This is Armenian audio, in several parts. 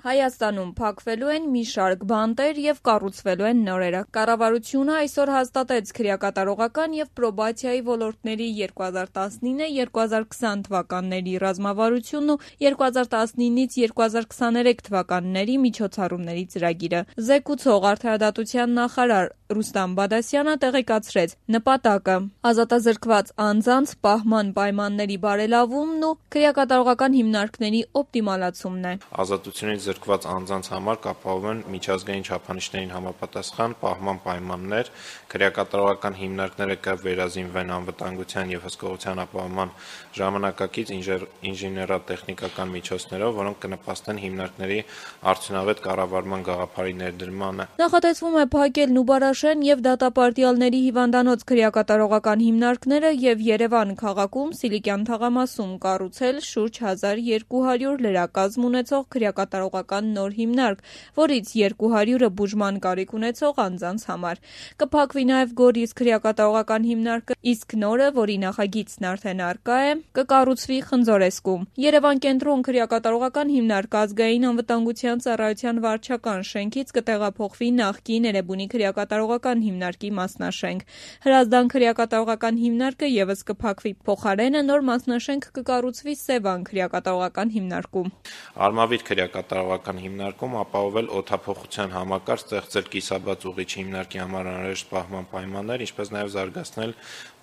Հայաստանում փակվելու են մի շարք բանտեր և կառուցվելու են նորերը։ Կառավարությունը այսօր հաստատեց քրեակատարողական և պրոբացիայի ոլորտների 2019-2020 թվականների ռազմավարությունն ու 2019-ից 2023 թվականների միջոցառումների ծրագիրը։ Զեկուցող արդարադատության նախարար Ռուստամ Բադասյանը տեղեկացրեց նպատակը ազատազրկված անձանց պահման պայմանների բարելավումն ու քրեակատարողական հիմնարկների օպտիմալացումն է։ Ազատությունից զրկված անձանց համար կապահովեն միջազգային չափանիշներին համապատասխան պահման պայմաններ, քրեակատարողական հիմնարկները կվերազինվեն անվտանգության և հսկողության ապահովման ժամանակակից ինժեներատեխնիկական միջոցներով, որոնք կնպաստեն հիմնարկների արդյունավետ կառավարման գաղափարի ներդրմանը։ Նախատեսվում է փակել Նուբարաշեն և դատապարտյալների հիվանդանոց քրեակատարողական հիմնարկները և Երևան քաղաքում Սիլիկյան թաղամասում կառուցել շուրջ 1200 լրակազմ ունեցող քրեակատարողական նոր հիմնարկ, որից 200-ը բուժման կարիք ունեցող անձանց համար։ Կփակվի նաև Գորիս քրեակատարողական հիմնարկը, իսկ նորը, որի նախագիծն արդեն առկա է, կկառուցվի Խնձորեսկում։ Երևան կենտրոն քրեակատարողական հիմնարկը Ազգային անվտանգության ծառայության վարչական շենքից կտեղափոխվի նախկին Էրեբունի քրեակատարողական հիմնարկի մասնաշենք։ Հրազդան քրեակատարողական հիմնարկը ևս կփակվի, փոխարենը նոր մասնաշենք կկառուցվի Սևան քրեակատարողական հիմնարկում։ Արմավիր քրեակատարողական հիմնարկում ապահովել օդափոխության համակարգ, ստեղծել կիսաբաց ուղղիչ հիմնարկի համար անհրաժեշտ պահման պայմաններ, ինչպես նաև զարգացնել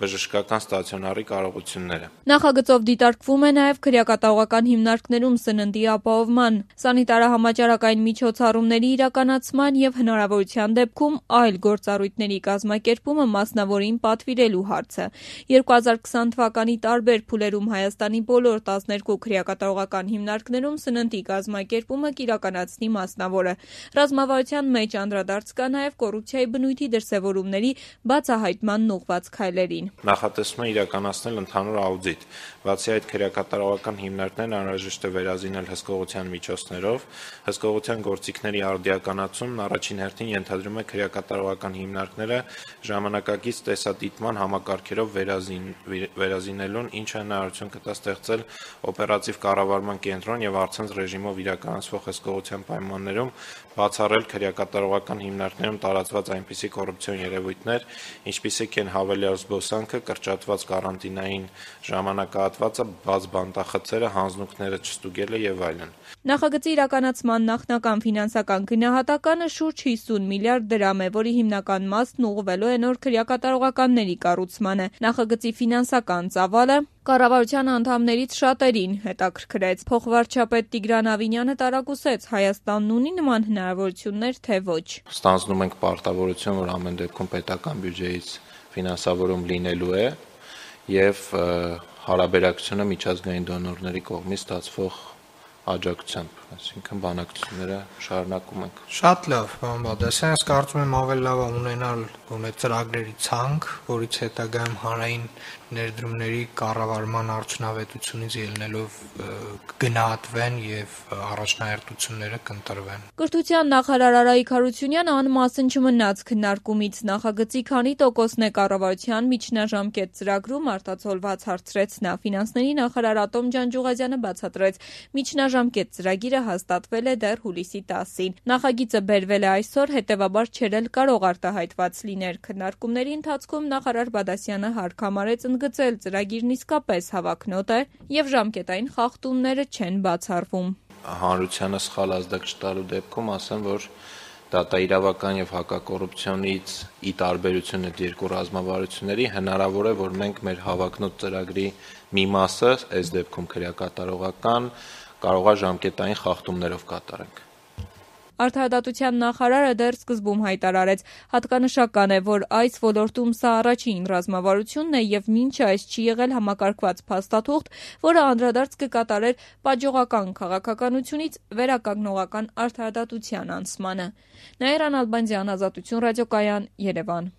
բժշկական ստացիոնարի կարողությունները։ Նախագծով դիտարկվում է նաև քրեակատարողական հիմնարկներում սննդի ապահովման, սանիտարահամաճարակային միջոցառումների իրականացման և հնարավորության դեպքում այլ գործառույթների կազմակերպումը մասնավորին պատվիրելու հարցը։ 2020 թվականի տարբեր փուլերում Հայաստանի բոլոր 12 քրեակատարողական հիմնարկներում սննդի կազմակերպումը կիրականացնի մասնավորը։ Ռազմավարության մեջ անդրադարձ կա նաև կոռուպցիայի բնույթի դրսևորումների բացահայտմանն ուղղված քայլերին։ Նախատեսվում է իրականացնել ընդհանուր աուդիտ։ Բացի այդ, քրեակատարողական հիմնարկներն անհրաժեշտ է վերազինել հսկողության միջոցներով։ Հսկողության գործիքների արդիականացումն առաջին հերթին ենթադրում է քրեակատարողական հիմնարկները ժամանակակից տեսադիտման համակարգերով վերազինելուն, ինչը հնարավորություն կտա ստեղծել օպերատիվ կառավարման կենտրոն և առցանց ռեժիմով իրականացվող հսկողության պայմաններում բացառել քրեակատարողական հիմնարկներում տարածված այնպիսի կոռուպցիոն երևույթներ, ինչպիսիք են հավելյալ զբոսանքը, կրճատված կարանտինային ժամանակահատվածը, բաց բանտախցերը, հանձնուկները չստուգելը և այլն։ Նախագծի իրականացման նախնական ֆինանսական գնահատականը շուրջ 50 միլիարդ դրամ է, որի հիմնական մասն ուղղվելու է նոր քրեակատարողականների կառուցմանը։ Նախագծի ֆինանսական ծավալը կառավարության անդամներից շատերին հետաքրքրեց։ Փոխվարչապետ Տիգրան Ավինյանը տարակուսեց՝ Հայաստանն ունի նման հնարավորություններ, թե ոչ։ Ստանձնում ենք պարտավորություն, որ ամեն դեպքում պետական բյուջեից ֆինանսավորում լինելու է և հարաբերակցությունը միջազգային դոնորների կողմից ստացվող աջակցությամբ, այսինքն բանակցությունները շարունակում ենք։ Շատ լավ, պարոն Բադասյան, ես կարծում եմ ավելի լավ է ունենալ ծրագրերի ցանկ, որից հետագայում հանրային ներդրումների կառավարման արդյունավետությունից ելնելով գնահատվեն և առաջնահերթությունները կընտրվեն։ Կրթության նախարար Արայիկ Հարությունյանը անմասն չմնաց քննարկումից։ Նախագծի քանի տոկոսն է կառավարության միջնաժամկետ ծրագրում, արտացոլված հարցրեց նա։ Ֆինանսների նախարար Ատոմ Ջանջուղազյանը բացատրեց՝ միջնաժամկետ ծրագիրը հաստատվել է դեռ հուլիսի 10-ին։ Նախագիծը բերվել է այսօր, հետևաբար չէր էլ կարող արտահայտված լինել։ Քննարկումների ընթացքում նախարար Բադասյանը հարկ համարեց ընդգծել՝ ծրագիրն իսկապես հավակնոտ է և ժամկետային խախտումները չեն բացառվում։ Հանրությանը սխալ ազդակ չտալու դեպքում ասեմ, որ դատաիրավական և հակակոռուպցիոնից ի տարբերություն այդ երկու ռազմավարությունների հնարավոր է, որ մենք մեր հավակնոտ ծրագրի մի մասը, այս դեպքում քրեակատարողական, կարող է ժամկետային խախտումներով կատարենք։ Արդարադատության նախարարը դեռ սկզբում հայտարարեց՝ հատկանշական է, որ այս ոլորտում սա առաջին ռազմավարությունն է և մինչ այս չի եղել համակարգված փաստաթուղթ, որը անդրադարձ կկատարեր պատժողական քաղաքականությունից վերականգնողական արդարադատության անցմանը։ Նաիրա Նալբանդյան, Ազատություն ռադիոկայան, Երևան։